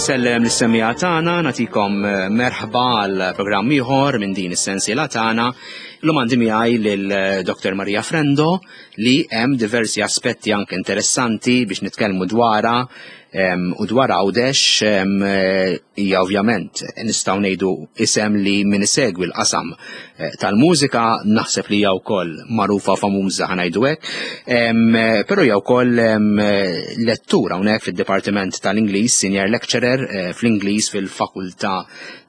Insellem lis-semmiegħa tagħna, nagħtikom eh, merħba għal programm ieħor minn din is-sensiela tagħna. Illum għandi miegħi lil eh, Dr. Maria Frendo li hemm diversi aspetti anke interessanti biex nitkellmu dwarha u dwar Għawdex eh, hija ovvjament nistgħu ngħidu isem li min isegwi l-qasam eh, tal-mużika naħseb li hija wkoll magħrufa famuża ħanajdu hekk, eh, però hija wkoll lettura hawnhekk fid-Dipartiment tal-Ingliż, senior lecturer fl-Ingliż fil-Fakultà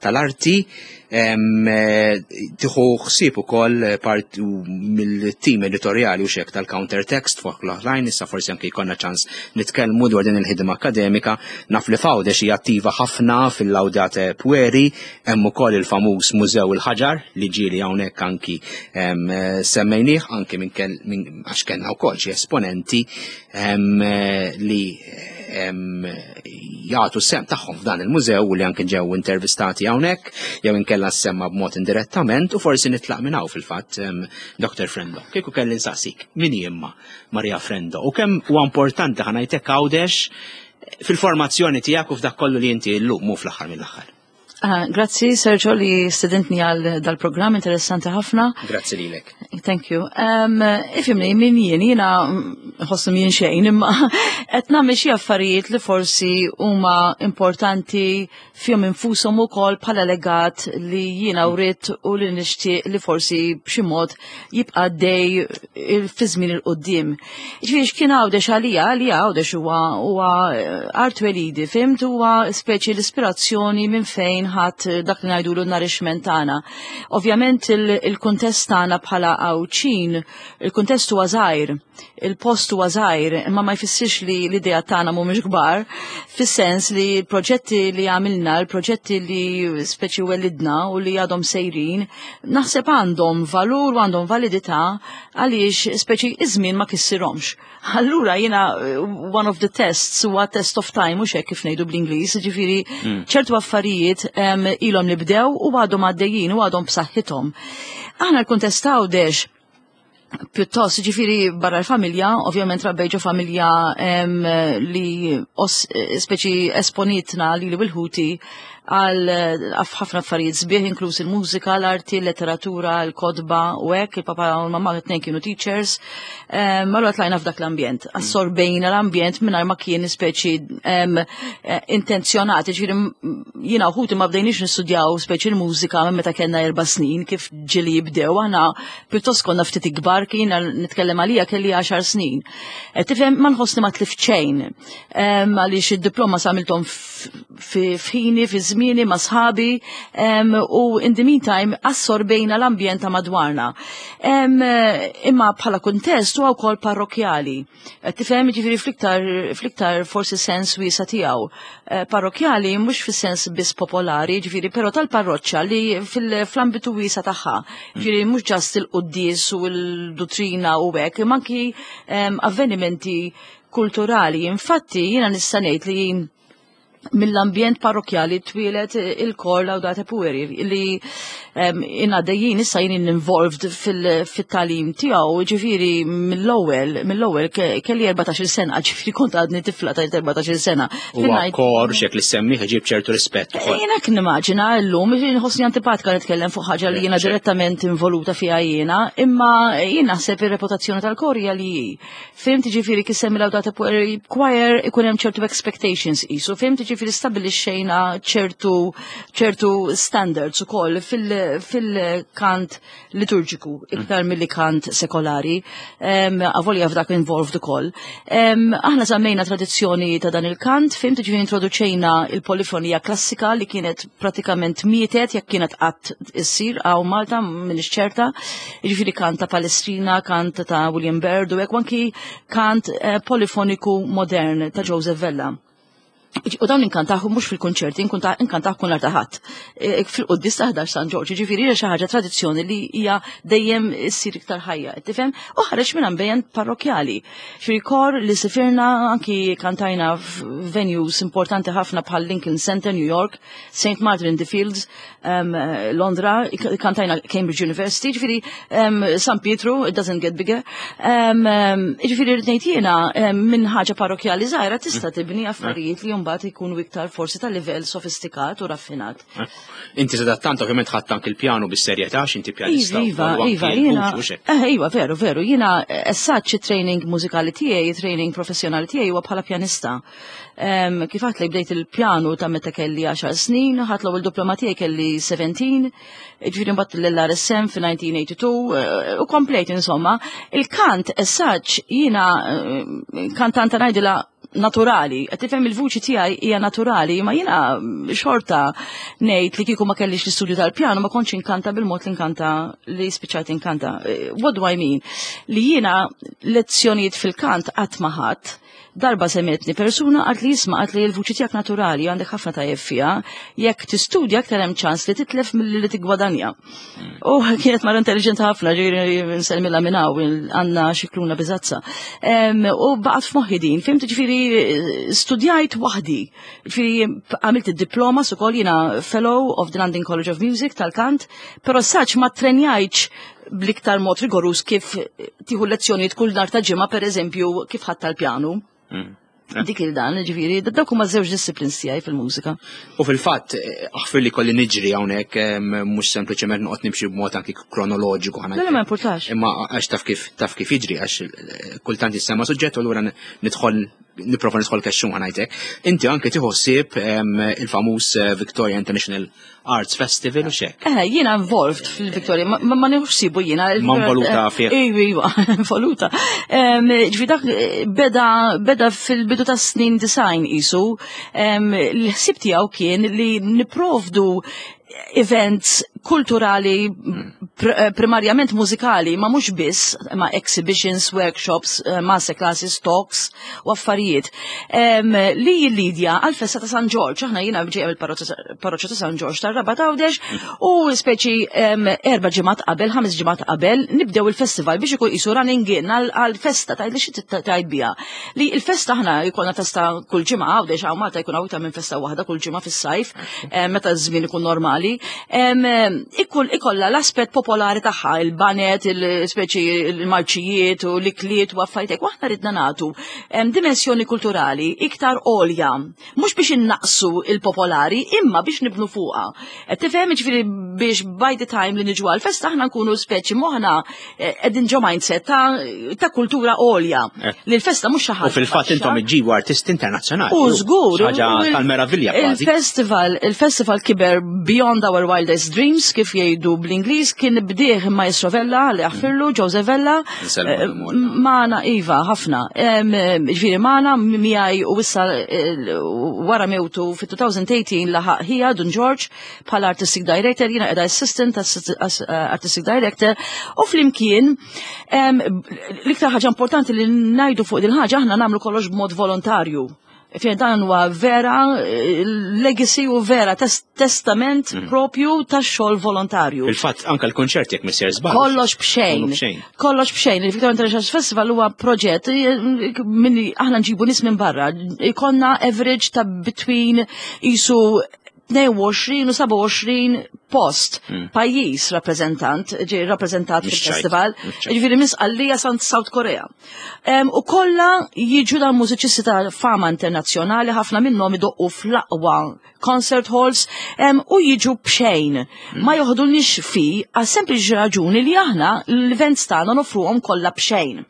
tal-Arti. Eh, tieħu ħsieb ukoll eh, part mill-tim editorjali u xek tal-counter text fuq l-oħrajn, issa forsi anke jkollna ċans nitkellmu dwar din il-ħidma akademika. Naf li f'Għawdex hija attiva ħafna fil-Laudate Pueri, hemm ukoll il-famuż Mużew il-Ħaġar li ġieli hawnhekk anki eh, semmejnih anki minn għax kellna wkoll xi esponenti li jagħtu sem tagħhom f'dan il-mużew u li anke ġew intervistati hawnhekk jew inkella semma b'mod indirettament u forsi nitlaq minn hawn fil-fatt Dr. Frendo. Kieku kelli nsaqsik, min hi imma Maria Frendo u kemm huwa importanti ħanajtek Għawdex fil-formazzjoni tiegħek u f'dak kollu li inti llum mhu fl-aħħar mill-aħħar. Ah, grazzi, Sergio, li stedintni għal dal-programm interessanti ħafna. Grazzi lilek. Thank you. Um, ifimni, min jien, jiena ħossu jien xejn, imma qed nagħmel xi affarijiet li forsi huma importanti fihom infushom ukoll bħala legat li jiena wrid u li nixtieq li forsi b'xi mod jibqa' dej fi żmien il-qudiem. Ġifieri x'kien Għawdex għalija, għalija Għawdex huwa huwa eh, art welidi, fimt huwa speċi l-ispirazzjoni minn fejn ħadd eh, dak li ngħidulu n-nourishment tagħna. Ovvjament il-kuntest tagħna bħala Għawdxin, il-kuntest huwa żgħir, il-post huwa żgħir, imma ma jfissirx li l-idea tagħna mhumiex kbar, fis-sens li l-proġetti li għamilna, l-proġetti li speċi welidna u li għadhom sejrin, naħseb għandhom valur u għandhom validità għaliex speċi iż-żmien ma kissirhomx. Allura jiena eh, one of the tests huwa test of time mhux hekk kif ngħidu bl-Ingliż, ġifieri mm. ċertu affarijiet ilhom li bdew u għadhom għaddejjin u għadhom b'saħħithom. Aħna l-kuntest Għawdex pjuttost ġifiri barra l-familja, ovvjament rabbej ġo familja li speċi esponitna li li bil-ħuti għal ħafna affarijiet sbieħ inkluż il-mużika, l-arti, l-letteratura, l-kodba u hekk, il-papa u l-mamma t-tnejn kienu teachers. Allura tlajna f'dak l-ambjent, assorbejna l-ambjent mingħajr ma kien speċi eh, intenzjonat, ġifieri jiena u ħuti ma bdejniex nistudjaw speċi l-mużika minn meta kellna erba' snin kif ġili jibdew aħna pjuttost konna ftit ikbar kien nitkellem għalija kelli 10 snin. E, tifhem ma nħossni ma tlift xejn għaliex id-diploma samiltom f'ħini, fi żmieni ma' sħabi u in the meantime assorbejna l-ambjent ta' madwarna. Imma bħala kuntest huwa wkoll parrokjali. Eh, tifhem ġifieri fl-iktar fl-iktar forsi sens wiesa tiegħu. Eh, parrokjali mhux fis-sens biss popolari, ġifieri però tal-parroċċa li fl-ambitu wiesa tagħha. Ġifieri mhux ġast il-quddies u l-duttrina u hekk, imma anki ehm, avvenimenti kulturali. Infatti jiena nista' ngħid li mill-ambjent parrokjali twieled il-kor Laudate Pueri li inna dejjin issa jien involved fil-talim tiegħu, ġifieri mill-ewwel mill-ewwel kelli 14-il sena, ġifieri kont għadni tifla ta' 14-il sena. Huwa kor xek li semmi ġib ċertu rispett ukoll. Jiena kien nimmaġina llum nħossni antipatika nitkellem fuq ħaġa li jiena direttament involuta fiha jiena, imma jien naħseb ir-reputazzjoni tal-kor hija li hi. Fimt ġifiri kif semmi Laudate Pueri Choir ikun hemm ċertu expectations isu, fimt ġifiri stabilixxejna ċertu ċertu standards ukoll fil-kant liturġiku iktar mm. milli kant sekolari, avolja f'dak involved ukoll. Aħna żammejna tradizzjoni ta' dan il-kant, fimt ġifiri introduċejna il-polifonija klassika li kienet pratikament mietet jekk kienet qatt issir għaw Malta m'iniex ċerta. Jiġifieri kant ta' Palestrina, kant ta' William Byrd u hekk anki kant eh, polifoniku modern ta' Joseph Vella. U dawn inkantaħu mhux fil-konċerti, inkantaħu kun l-artaħat. E, fil-quddis ta' 11 San Ġorġ, ġifieri hija xi ħaġa tradizzjoni li hija dejjem issir iktar ħajja, tifhem? U ħareġ minn ambjent parrokjali. Ġifieri kor li sifirna anki kantajna f'venues importanti ħafna bħal Lincoln Center, New York, St. Martin in the Fields, um, Londra, kantajna Cambridge University, ġifiri um, San Pietru, it doesn't get bigger. Um, ġifiri rrid ngħid jiena minn ħaġa parrokjali żgħira tista' tibni affarijiet li mbagħad mbagħad ikunu iktar forsi ta' livell sofistikat u raffinat. Inti sadattant ovvjament ħadt anki l-pjanu bis-serjetà għax inti pjanista. Iva, iva, jiena. Eh, iva, veru, veru, jiena essaċ training mużikali tiegħi, training professjonali tiegħi huwa bħala pjanista. Kif għat li bdejt il-pjanu ta' meta kelli 10 snin, ħadt l-ewwel diploma tiegħi kelli 17, ġifieri mbagħad l-RSM fi 1982 eh, u komplejt insomma. Il-kant essaċ jiena eh, kantanta ngħidilha naturali, qed tifhem il-vuċi tiegħi hija naturali, ma jiena xorta ngħid li kieku ma kellix l-istudju tal-pjanu ma kontx inkanta bil-mod li nkanta li spiċċajt inkanta. Eh, what do I mean? Li jiena lezzjonijiet fil-kant qatt ma ħadd Darba semmetni persuna għat li jisma għat li l-vuċi tiegħek naturali għandek ħafna tajjeb fiha, jekk tistudja aktar hemm ċans li titlef milli li tiggwadanja. U kienet mara intelligent ħafna, ġifieri nsellmilha minn hawn għandna xikluna biżazza. U baqgħet f'moħħi din, fimt ġifieri studjajt waħdi. Ġifieri għamilt id-diploma ukoll jiena fellow of the London College of Music tal-kant, però saċ ma trenjajtx bl-iktar mod rigorus kif tieħu lezzjonijiet kull nar ta' ġimgħa pereżempju kif ħadd tal-pjanu. Dik il-dan, ġifieri, dawk huma żewġ disciplines tiegħi fil-mużika. U fil-fatt, aħfir li kolli niġri hawnhekk mhux sempliċement noqgħod nimxi b'mod anki kronoloġiku ħana. Le, ma importax. Imma għax taf kif taf kif jiġri għax eh, kultant jissema suġġett u allura nidħol nipprova nidħol kexxun ħanajtek. Inti anke tieħu ħsieb il-famuż eh, Victoria International Arts Festival u xek. Eh, jiena involved fil-Victoria, ma, ma nieħux sibu jiena. Ma involuta fih. Iva, iva, involuta. Ġifi dak eh, beda, beda fil-bidu ta' snin design isu, l-ħsib tiegħu kien li niprovdu events kulturali pr eh, primarjament mużikali, ma mhux biss, ma exhibitions, workshops, eh, master classes, talks u affarijiet. Li jillidja għal-festa ta' San Ġorġ, aħna jiena ġejja mill-parroċċa ta' San Ġorġ tar-Rabat Għawdex u speċi erba' ġimgħat qabel, ħames ġimgħat qabel, nibdew il-festival biex ikun qisu running in għal-festa tgħid li xi tgħid biha. Li il-festa aħna jkollna festa kull ġimgħa Għawdex hawn Malta jkun hawn minn festa waħda kull ġimgħa fis-sajf, meta ż-żmien ikun normali. Ikun ikollha l-aspett popolari tagħha, il-banet, il-speċi il-marċijiet u l-ikliet u affarijiet hekk. Aħna ridna nagħtu dimensjoni kulturali iktar għolja, mhux biex innaqsu il-popolari, imma biex nibnu fuqha. Qed tifhem ġifieri biex by the time li niġu għal-festa aħna nkunu speċi moħħna eh, qegħdin ġo mindset ta', ta kultura għolja. Eh. Li l-festa mhux xi ħaġa. U fil-fatt intom iġġibu artisti internazzjonali. U żgur. Ħaġa tal-meravilja kważi. Il-festival, il-festival kiber beyond our wildest dreams kif jgħidu bl-Ingliż kien bdieħ Maestro Vella li aħfirlu Joseph Vella. Eh, Magħna iva ħafna. Ġifieri magħna miegħi u issa wara mewtu fit-2018 laħaq ħija Dun George bħala artistic director, jiena qiegħda assistant artistic director u flimkien l-iktar ħaġa importanti li ngħidu fuq din ħaġa aħna nagħmlu kollox b'mod volontarju. Fejn dan huwa vera legacy u vera testament mm. propju tax-xogħol volontarju. Il-fatt anke l-konċert jekk missier żball. Kollox b'xejn. Kollox b'xejn. Il-Victoria International Festival huwa proġett eh, minn aħna nġibu nies minn barra. Ikonna average ta' between isu 22 u 27 post mm. pajjiż rappreżentant, ġej rappreżentat fil-festival, ġifieri minn Sqallija sant South Korea. U kollha jiġu dan mużiċisti ta' fama internazzjonali, ħafna minnhom idoqqu fl-aqwa concert halls u jiġu b'xejn. Mm. Ma joħdulniex fi għal sempliċi raġuni li aħna l-events tagħna nofruhom kollha b'xejn.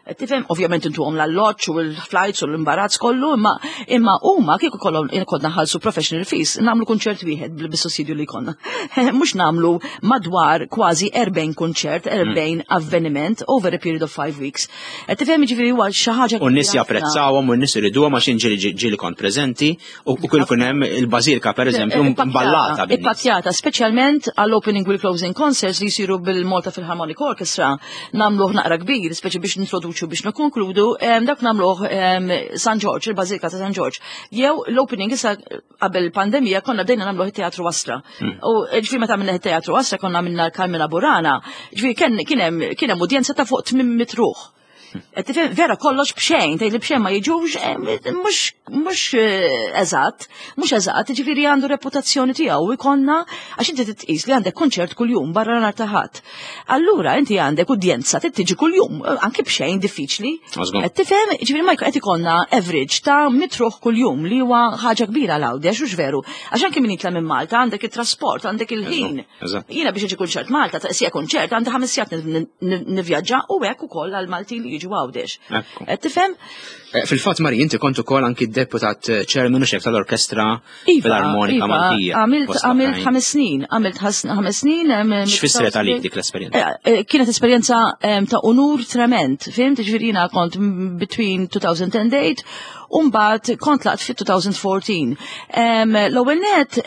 Tifhem, ovvjament intuhom l-alloġġ u l-flights u l-imbarazz kollu, imma imma huma kieku kollhom konna ħalsu professional fees, nagħmlu kunċert wieħed bis-sussidju li jkollna. Mhux nagħmlu madwar kważi 40 kunċert, 40 mm. avveniment over a period of 5 weeks. Tifhem ġifieri huwa xi ħaġa. U n-nies japprezzawhom u n-nies iriduhom għax ġieli ġieli kont preżenti u kull kun hemm il-bażilika pereżempju eh, mballata. Ippakjata, speċjalment għall-opening u closing concerts li jsiru bil-Malta Philharmonic Orchestra nagħmluh naqra kbir, speċi biex nintroduċu biex nikkonkludu, dak nagħmluh San Ġorġ, il-Bażilika ta' San Ġorġ. Jew l-opening issa qabel il-pandemija konna bdejna nagħmluh it-Teatru Astra. Hmm. U ġifieri meta għamilna it-Teatru Astra konna għamilna Carmela Burana, ġifieri kien hemm udjenza ta' fuq 800 ruħ. Qed tifhem, vera kollox b'xejn, tgħid li b'xejn ma jiġux, mhux eżatt, mhux eżatt, jiġifieri għandu reputazzjoni tiegħu u jkollna għax inti titqis li għandek kunċert kuljum barra nhar ta' Ħadd. Allura inti għandek udjenza trid tiġi kuljum, anki b'xejn diffiċli. Qed tifhem, jiġifieri ma qed ikollna average ta' mitruħ kuljum li huwa ħaġa kbira l Għawdex hux veru. Għax anki min jitla' minn Malta għandek it-trasport, għandek il-ħin. Jiena biex iġi kunċert Malta, ta' sija kunċert għandi ħames sigħat nivvjaġġa u hekk ukoll għal Maltin li jiġu Għawdex. Qed tifhem? Eh, fil-fatt Mari, inti kont ukoll anki deputat eh, chairman u xef tal-Orkestra iva, Filarmonika iva, Maltija. Għamilt ħames snin, għamilt ħames snin. X'fissret għalik dik l-esperjenza? Eh, kienet esperjenza ta' unur trement, fimt, ġifieri jiena kont between 2008 u mbagħad kont laqt fit-2014. L-ewwel net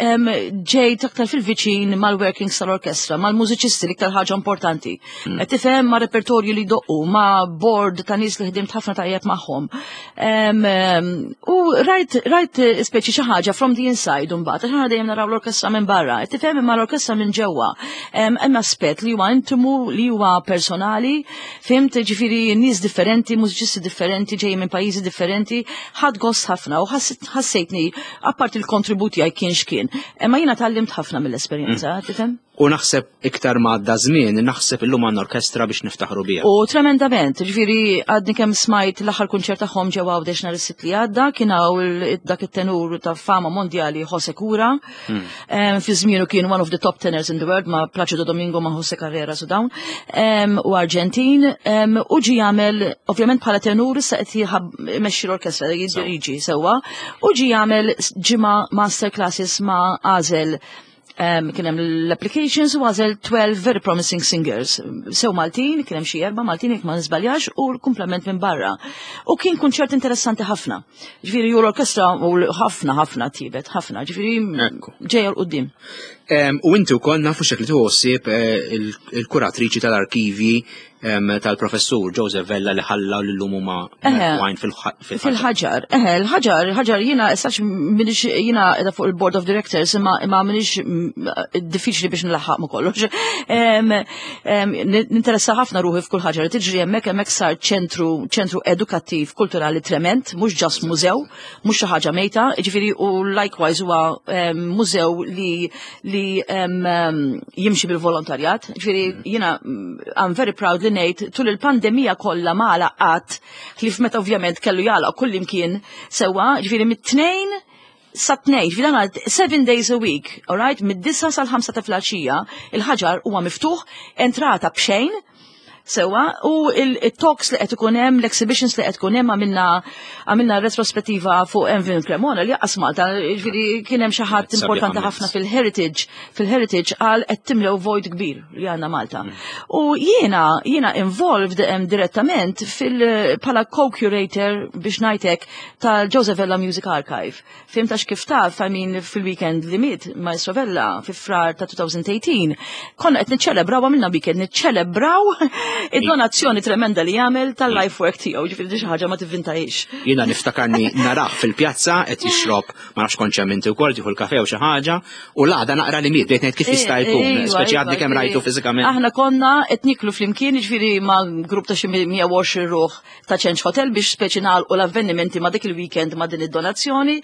ġejt aktar fil-viċin mal-workings tal-orkestra, mal-mużiċisti l-iktar ħaġa importanti. Qed tifhem ma' repertorju li jdoqqu, ma' board ta' nies li ħdimt ħafna tajjeb magħhom. U rajt rajt speċi xi ħaġa from the inside mbagħad, għax aħna dejjem naraw l-orkestra minn barra, qed tifhem imma l-orkestra minn ġewwa. Hemm aspett li huwa intimu, li huwa personali, fimt ġifieri nies differenti, mużiċisti differenti, ġejjin minn pajjiżi differenti, ħadt gost ħafna u ħassejtni apparti l-kontribut tiegħi kien x'kien. Imma jiena tgħallimt ħafna mill-esperjenza, tifhem? U naħseb iktar ma għadda żmien, naħseb illum għandna orkestra biex niftaħru biha. U tremendament, ġifieri għadni kemm smajt l-aħħar kunċert tagħhom ġewwa Għawdex nhar is-Sibt li għadda, kien hawn dak it-tenur ta' fama mondjali Jose Cura. Hmm. Fi żmienu kien one of the top tenors in the world ma' Placido Domingo ma' Jose Carrera su dawn. U Arġentin, u ġi jagħmel ovvjament bħala tenur issa qed jmexxi l-orkestra jiddiriġi sewwa, u ġi jagħmel ġimgħa master classes ma' għażel kien hemm l-applications u għażel 12 very promising singers. Sew Maltin, kien hemm xi erba' Maltin jekk ma niżbaljax u l-kumplament minn barra. U kien kunċert interessanti ħafna. Ġifieri u l-orkestra u ħafna ħafna tibet, ħafna, ġifieri ġejja l qudiem. U inti wkoll nafu xek li tħossib eh, il-kuratriċi tal-arkivi tal-professur Joseph Vella li ħalla u l-lum huma għajn fil-ħaġar. Fil-ħaġar, eħe, l-ħaġar, l-ħaġar jiena sax minix jiena edha fuq il-board of directors imma imma minix diffiċli biex nlaħħaq ma kollox. Ninteressa ħafna ruħi f'kull ħaġa li tiġri hemmhekk hemmhekk sar ċentru ċentru edukattiv kulturali trement, mhux ġast mużew, mhux xi ħaġa mejta, jiġifieri u likewise huwa mużew li li jimxi bil-volontarjat. Ġifieri mm. jiena mm, I'm very proud li ngħid tul il-pandemija kollha ma qatt ħlief meta ovvjament kellu jagħlaq kull imkien sewwa, ġifieri mit-tnejn sa tnejn, ġifieri dan seven days a week, all right, mid-disa sal-ħamsa ta' filgħaxija, il-ħaġar huwa miftuħ, entrata b'xejn, Sewa, u il-talks li qed ikun hemm, l-exhibitions li qed ikun hemm għamilna għamilna retrospettiva fuq Envin Cremona li qas Malta, ġifieri kien hemm xi ħadd importanti ħafna fil-heritage, fil-heritage qal qed timlew vojt kbir li għandna Malta. Mm. U jiena jiena involved direttament fil bħala co-curator biex ngħidlek tal-Joseph Vella Music Archive. Fim għax kif taf, I mean, fil-weekend li miet Maestro Vella fi frar ta' 2018, konna qed niċċelebraw għamilna weekend niċċelebraw id-donazzjoni tremenda li jagħmel tal-life work tiegħu, ġifieri xi ħaġa ma tivvintajx. Jiena niftakarni narah fil-pjazza qed jixrob ma nafx kontx hemm inti wkoll tieħu l-kafe u xi ħaġa u l-għada naqra li miet bdejt ngħid kif jista' jkun, eh, iva, speċi għadni iva, kemm rajtu fiżikament. Aħna konna qed niklu flimkien, ġifieri ma' grupp ta' xi 120 ruħ ta' Change Hotel biex speċi nagħlqu l-avvenimenti ma' dik il-weekend ma' din id-donazzjoni.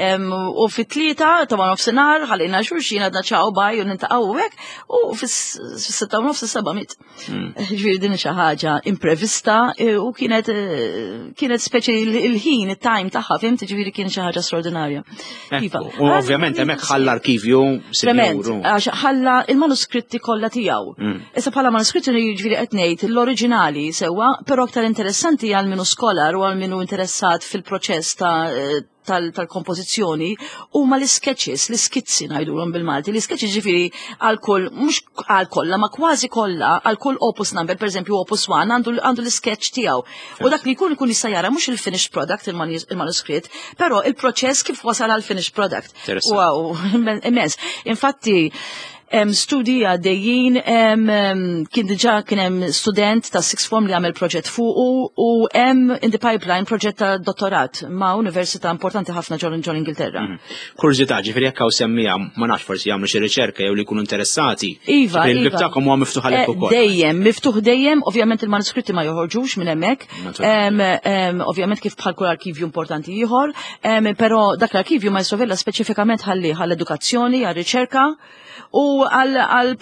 U fit-tlieta ta' ma' nofsinhar ħallejna xulxin għadna ċaw baj u nintaqgħu hekk u fis-sitta u nofs is-seba' miet. Hmm. Ġifieri din xi ħaġa imprevista e, u kienet e, kienet speċi il-ħin, it-time tagħha, fimt, ġifieri kien xi ħaġa straordinarja. Iva. U ovvjament hemmhekk ħalla arkivju Trement, għax ħalla il-manuskritti kollha tiegħu. Mm. Issa bħala manuskritti jiġifieri qed ngħid l-oriġinali sewwa, però aktar interessanti għal minu skolar u għal minu interessat fil-proċess ta' tal-kompożizzjoni huma l-sketches, l-iskizzi ngħidulhom bil-Malti. L-sketches ġifieri għal kull mhux għal kollha, ma kważi kollha għal kull opus number, pereżempju opus 1 għandu l-sketch tiegħu. U dak li jkun ikun jista' jara mhux il-finished product il-manuskritt, però il-proċess kif wasal għal finished product. Wow, immens. Infatti, Hemm studji għaddejjin, kien diġà kien hemm student ta' sixth form li għamel proġett fuqu u hemm in the pipeline proġett ta' dottorat ma' università importanti ħafna ġol ġol Ingilterra. Kurżità, ġifieri jekk hawn semmija ma nafx forsi jagħmlu xi riċerka jew li jkunu interessati. Iva, Il-bib iva. tagħkom huwa miftuħ għalhekk ukoll. Dejjem, miftuħ dejjem, ovvjament il-manuskritti ma joħorġux minn hemmhekk. Ovvjament kif bħal kull arkivju importanti ieħor, però dak l-arkivju Maestro Vella speċifikament ħalli għall-edukazzjoni, għall-riċerka u għal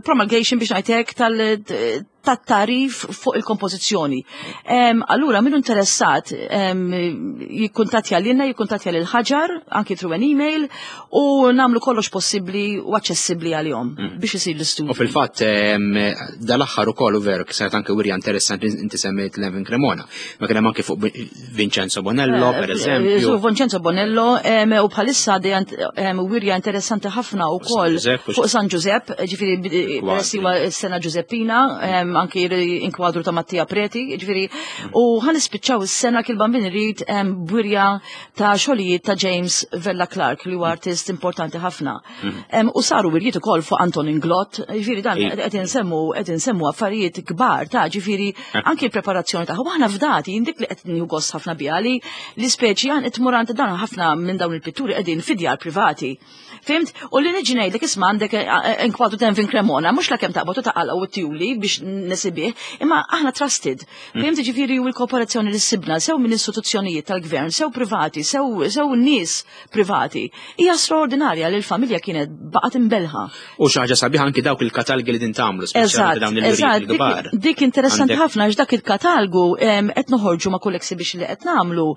promulgation biex ngħidlek tat-tarif fuq il-kompożizzjoni. Allura minnu interessat jikkuntattja lilna, jikkuntattja lil ħaġar, anki through an email, u nagħmlu kollox possibbli u aċċessibbli għalihom biex isir l-istudju. U fil-fatt dal-aħħar ukoll u veru saret anke wirja interessanti inti semmejt Levin Cremona. Ma kien hemm anke fuq Vincenzo Bonello, per eżempju. Su Vincenzo Bonello, u bħalissa wirja interessanti ħafna u koll fuq San Giuseppe, ġifieri peress huwa s-sena Giuseppina, anki inkwadru ta' Mattia Preti, ġifieri, u ħa nispiċċaw is-sena kil bambin irid b'wirja ta' xogħlijiet ta' James Vella Clark li huwa artist importanti ħafna. U saru wirjiet ukoll fuq Anton Inglott, ġifieri dan qed insemmu qed insemmu affarijiet kbar ta' ġifieri anki l-preparazzjoni ta' aħna fdati dik li qed nieħu gost ħafna biha li l-ispeċi għan qed tmur għand dan ħafna minn dawn il-pitturi qegħdin fid-djar privati. Fhimt? U li niġi ngħidlek isma' għandek inkwadru ta' Vin Cremona, mhux la kemm taqbad u taqalgħu u tjuli biex nesibih, imma aħna trusted. Fhimt ġifieri u l-kooperazzjoni li sibna sew minn istituzzjonijiet tal-gvern, sew privati, sew nies privati, hija straordinarja li l-familja kienet baqgħet imbelħa. U xi ħaġa sabiħa anki dawk il-katalgi li din tagħmlu, speċjalment dawn il-wirjiet il-kbar. Dik interessanti ħafna għax dak il-katalgu qed noħorġu ma' kull exhibition li qed nagħmlu,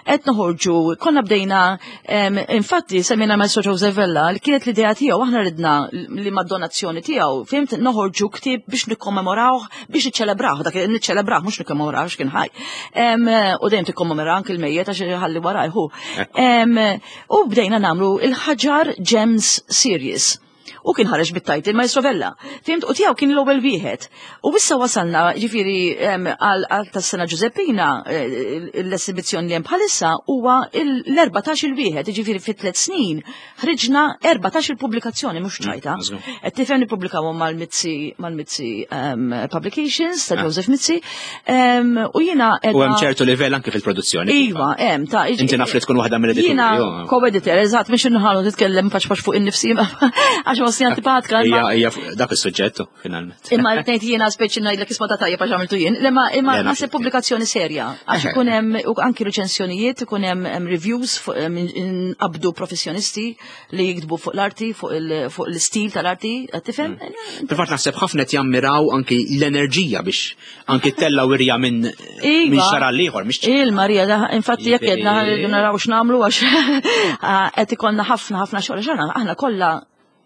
qed noħorġu, konna bdejna infatti semmejna Maestro Joseph Vella li kienet l-idea tiegħu aħna ridna li mad-donazzjoni tiegħu, fhimt, noħorġu ktieb biex nikkommemorawh, biex niċċelebrawh, dak niċċelebrawh mhux nikkommemorawh x'kien ħaj. U dejjem tikkommemora anke l-mejjet għax ħalli warajħu. U bdejna nagħmlu il-Ħaġar Gems Series. U kien ħareġ bit-title Maestro Vella. Fhimt, u tiegħu kien l-ewwel wieħed. U issa wasalna ġifieri għal tas-sena Giuseppina l-esibizzjoni li hemm bħalissa huwa l-14 il-wieħed, ġifieri fi 3 snin ħriġna 14 il-pubblikazzjoni mhux ċajta. Qed tifhem nippubblikawhom mal-Mizzi mal-Mizzi Publications ta' Joseph Mizzi. U jiena U hemm ċertu livell anke fil-produzzjoni. Iva, hemm ta' Inti naf li tkun waħda mill-edituri. Jiena co-editor, eżatt, mhux inħallu titkellem paċ paċ fuq innifsi għax wasni antipatka. Hija dak is-suġġett finalment. Imma qed ngħid jiena speċi ngħidlek isma' ta' tajjeb għax għamiltu jien. Imma imma naħseb pubblikazzjoni serja għax ikun hemm anki reċensjonijiet, ikun hemm reviews qabdu professjonisti li jiktbu fuq l-arti, fuq l-istil tal-arti, tifhem? Fil-fatt naħseb ħafna qed jammiraw anki l-enerġija biex anki tella wirja minn minn xara l-ieħor. Il-Marija, infatti jekk jedna naraw x'nagħmlu għax qed ikollna ħafna ħafna xogħol għax aħna kollha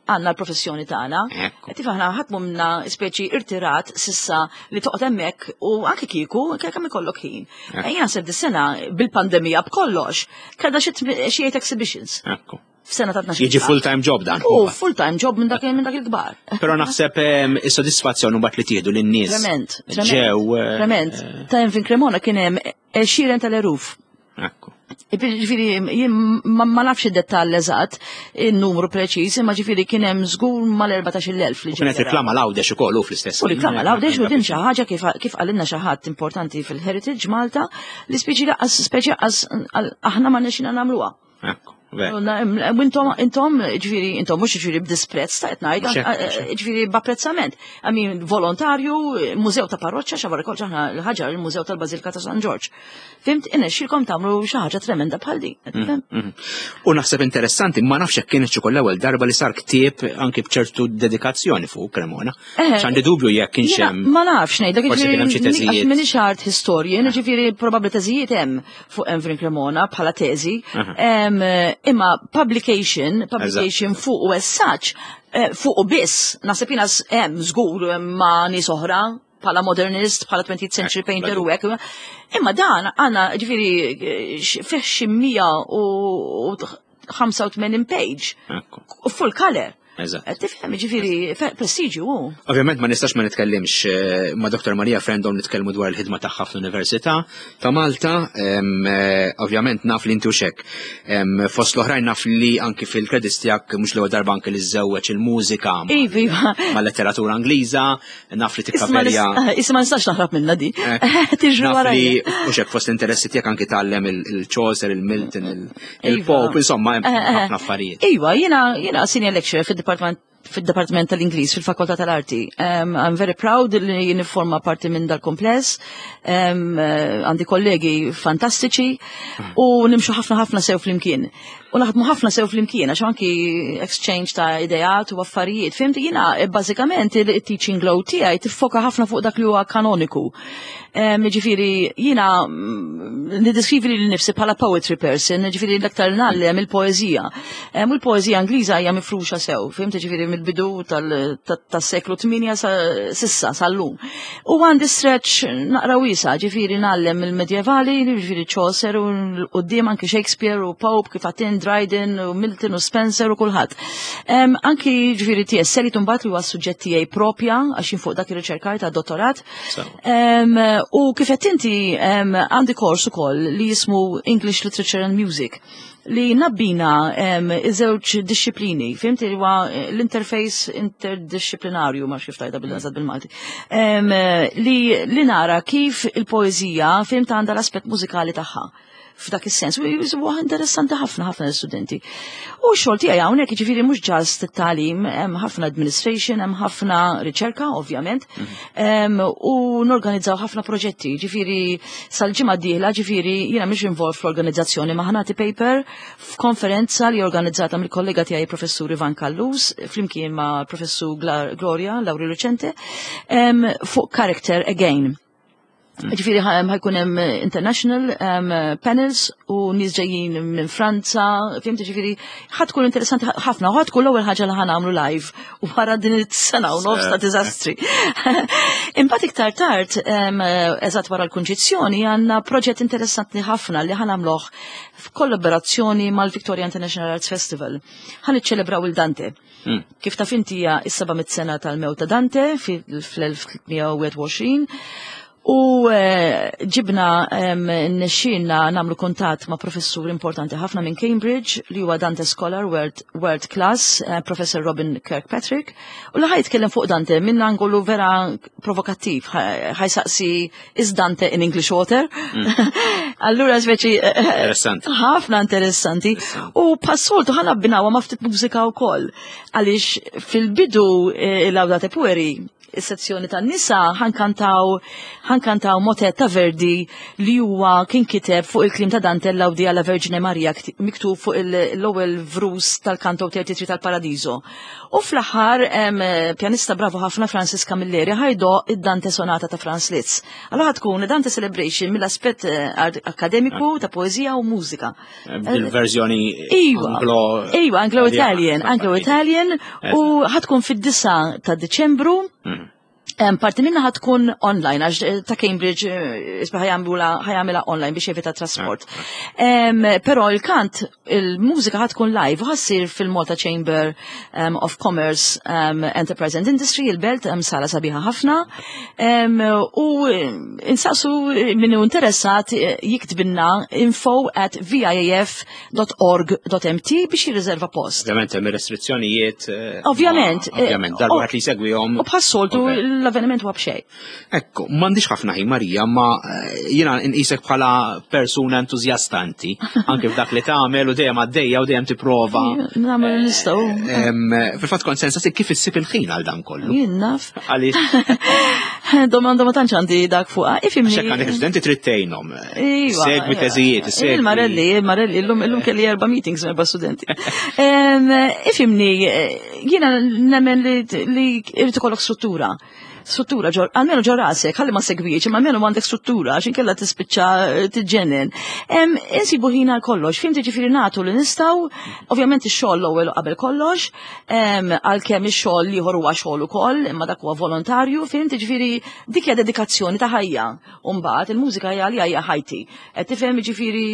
għandna l-professjoni tagħna. Qed aħna ħadd minna speċi irtirat sissa li toqgħod hemmhekk u anke kieku kemm ikollok ħin. Jien naħseb dis-sena bil-pandemija b'kollox kellha xi eight exhibitions. F'sena ta' 12. Jiġi full-time job dan. U full-time job minn dak il-kbar. Però naħseb is-sodisfazzjon mbagħad li tieħdu lin-nies. Trement. Ġew. Trement. Ta' Emvin Cremona kien hemm għexieren tal-eluf. Ekku. Ġifieri, jien ma nafx id-dettall eżatt, il-numru preċiż, imma ġifieri kien hemm żgur mal-14,000 li Kienet riklama l-Għawdex ukoll u fl-istess. U riklama l-Għawdex u din xi ħaġa kif qalilna xi ħadd importanti fil-Heritage Malta li speċi laqqas speċi laqqas aħna ma nexxina nagħmluha. Ekku. Intom, intom, ġifieri, intom mhux ġifieri b'disprezz ta' qed ngħid, ġifieri b'apprezzament. I mean, volontarju, mużew ta' parroċċa, xavar kollox aħna l-ħaġar il-Mużew tal-Bażilika ta' San Ġorġ. Fhimt, inexxilkom tagħmlu xi ħaġa tremenda bħal din. U naħseb interessanti, ma nafx jekk kienet ukoll l-ewwel darba li sar ktieb anki b'ċertu dedikazzjoni fuq Cremona. X'għandi dubju jekk kienx hemm. Ma nafx ngħidlek Forsi kien hemm xi teżijiet. Minix art historian, ġifieri probabbli teżijiet hemm fuq Emvin Cremona bħala teżi. Imma publication fuq u as such, fuq u biss, naħseb jiena hemm żgur ma' nies oħra bħala modernist, bħala 20th century painter u hekk. Imma dan għandna ġifieri fih xi 185 page. Full color. Eżatt. Tifhem, ġifieri prestiġju hu. Ovvjament ma nistax ma nitkellimx eh, ma' Dr. Maria Frendon nitkellmu dwar il-ħidma tagħha fl-Università ta' Malta. Eh, ovvjament naf li inti xek. Fost l-oħrajn naf li anki fil-credits tiegħek mhux l-ewwel darba anki li żewweġ il-mużika iva, iva. ma' letteratura Ingliża, naf li tikkaverja. Issa ma nistax naħrab minna di. Eh, Tiġri wara. Li u xek fost l-interessi tiegħek anki tgħallem il-Chaucer, il-Milton, iva. il-Pope, insomma, ħafna affarijiet. Iva, jiena jiena senior lecturer fid-Department fid-Departiment tal-Ingliż fil-Fakoltà tal-Arti. Um, I'm very proud li nifforma parti minn dal-kompless. Um, għandi kollegi fantastiċi u nimxu ħafna ħafna sew flimkien. U naħdmu ħafna sew flimkien għax anki exchange ta' ideat u affarijiet. Fimti jiena eh, bażikament il-teaching load tiegħi tiffoka ħafna fuq dak li huwa kanoniku. Ġifieri jiena mm, niddiskrivi lili nifsi bħala poetry person, ġifieri l-aktar ngħallem il-poeżija. U l-poeżija Ingliża hija mifruxa sew, fhimt ġifieri mill-bidu tas-seklu 8 sissa sal-lum. U għandi stretch naqra wiesa, ġifieri ngħallem il-medjevali, ġifieri Chaucer u l-qudiem anki Shakespeare u Pope kif għatin Dryden u Milton u Spencer u kulħadd. Anki ġifieri T.S. Eliot mbagħad li huwa s-suġġett tiegħi propja għax fuq dak ir-riċerkaj ta' dottorat. U kif qed inti għandi kors ukoll li jismu English Literature and Music li nabbina iż-żewġ disċiplini, fimt li huwa eh, l-interface interdisciplinarju ma kif tajda bil-għazad bil-Malti, li, li nara kif il-poezija fimt għandha l-aspett mużikali tagħha f'dak is-sens. U huwa interessanti ħafna ħafna l-istudenti. U x-xogħol tiegħi hawnhekk jiġifieri mhux ġast it-tagħlim, hemm ħafna administration, hemm ħafna riċerka ovvjament, mhm. u norganizzaw ħafna proġetti, ġifieri sal-ġimgħa d-dieħla, ġifieri jiena mhux involved fl-organizzazzjoni ma ħanati paper f'konferenza li organizzata mill-kollega tiegħi professur Ivan Kallus flimkien ma' professur Gloria Lauri Lucente fuq Character Again. Ġifiri ħajkun hemm international panels u nies ġejjin minn Franza, fimti ġifiri ħatkun interessanti ħafna u ħatkun l-ewwel ħaġa li ħanamlu live u wara din is-sena u nofs ta' diżastri. Imbagħad iktar tard, eżatt wara l-kunċizzjoni, għandna proġett interessanti ħafna li ħanamluh f'kollaborazzjoni mal-Victoria International Arts Festival. Ħan iċċelebraw il-Dante. Kif taf inti hija is-700 sena tal-mewt ta' Dante fl-1321 u eh, ġibna nexxinna nagħmlu kuntatt ma' professur importanti ħafna minn Cambridge li huwa Dante Scholar World, World Class, eh, Professor Robin Kirkpatrick, u li ħaj jitkellem fuq Dante minn angolu vera provokattiv, ħajsaqsi is Dante in English water? Mm. Allura speċi eh, eh, interessanti. Ħafna interessanti. U passoltu ħana abbinawa ma' ftit mużika wkoll. Għaliex fil-bidu eh, il-Laudate Pueri is-sezzjoni tan-nisa ħankantaw ħankantaw motet ta' Verdi li huwa kien kiteb fuq il-klim ta' Dante l-Laudi alla Verġine Maria miktub fuq l-ewwel vrus tal-kanto 33 tal-Paradiso. U fl-aħħar pjanista bravu ħafna Francis Camilleri ħajdo id-Dante Sonata ta' Franz Liszt. Allora tkun Dante Celebration mill-aspett eh, akademiku ta' poezija u mużika. Eh, bil-verżjoni iva, Anglo Iva, Anglo-Italian, Anglo-Italian u ħatkun fid-9 ta' Deċembru. Mm. Parti minna ħatkun online, għax eh, ta' Cambridge eh, isba ħajamela online biex jevita trasport. Ah, ah. Pero il-kant, il-mużika ħatkun live, ħassir fil-Malta Chamber of Commerce Enterprise and Industry, il-belt, sala sabiħa ħafna. U eh, insaqsu minnu interessat jiktbinna info at viaf .org.mt biex jirriserva post. Ovvjament hemm restrizzjonijiet. Eh, ovvjament. Eh, ovvjament, darba li segwihom. U bħas-soltu l-avveniment huwa b'xejn. Ekku, m'għandix ħafna ħin Marija, ma eh, jiena nqisek bħala persuna entużjasta inti, anke f'dak li tagħmel u dejjem għaddejja u dejjem tipprova. Nagħmel nistgħu. Fil-fatt kont sensa kif issib il-ħin għal dan kollu. Jien naf. Għaliex. Domanda ma tantx għandi dak fuqha. Ifimni. Għax għandek studenti trid tgħinhom. Iva. Segwi iva. teżijiet, segwi. Il-Marelli, il-Marelli, illum illum kelli erba' meetings erba' studenti. Ifimni, jiena nemmen li irid ikollok struttura. Struttura ġor, almenu ġo rasek, ħalli ma segwix, imma almenu għandek struttura, għax inkella tispiċċa eh, tiġġennen. Insibu ħin għal kollox, fim ġifieri nagħtu li nistgħu, ovvjament ix-xogħol l-ewwel qabel kollox, għalkemm ix-xogħol ieħor huwa xogħol ukoll, imma dak huwa volontarju, fim ġifieri dik hija dedikazzjoni ta' ħajja. U mbagħad il-mużika hija li hija ħajti. Qed tifhem ġifieri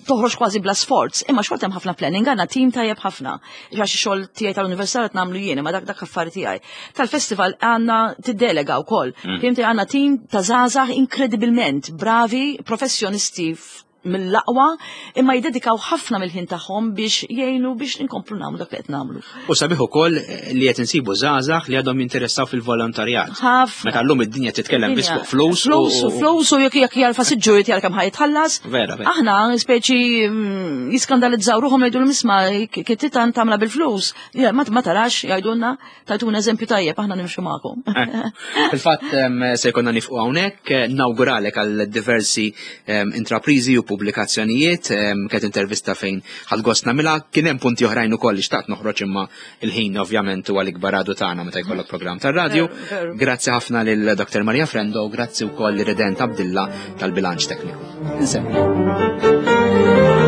toħroġ kważi bla sforz, imma xorta hemm ħafna planning, għandna tim tajjeb ħafna. Għax xogħol tiegħi tal-università qed nagħmlu jien, imma dak dak affari tiegħi. Tal-festival għandna tiddelega wkoll. Mm. Fimti għandna tim ta' żgħażagħ inkredibilment bravi, professjonisti mill-aqwa imma jiddedikaw ħafna mill-ħin tagħhom biex jgħinu biex inkomplu nagħmlu dak li qed nagħmlu. U sabiħ ukoll li qed insibu żgħażagħ li għadhom jinteressaw fil-volontarjat. Ħafna. Meta llum id-dinja titkellem biss fuq flus. Flus u flus u jekk jekk jarfa siġġu jekk kemm ħajtħallas. Vera, vera. Aħna speċi mm, jiskandalizzaw ruħhom jgħidu l-misma kittitan tagħmla bil-flus. Ma tarax jgħidulna tajtuna eżempju tajjeb aħna nimxu magħkom. Eh, fil-fatt se jkollna nifqu hawnhekk, eh, nawguralek għal diversi intraprizi u pubblikazzjonijiet, kienet intervista fejn ħadd gost nagħmilha, kien hemm punti oħrajn ukoll li xtaqt noħroġ imma il-ħin ovvjament huwa l-ikbar għadu tagħna meta jkollok programm tar-radju. Grazzi ħafna lil Dr. Maria Frendo, grazzi wkoll li Redent Abdilla tal-bilanċ tekniku. Insemmlu.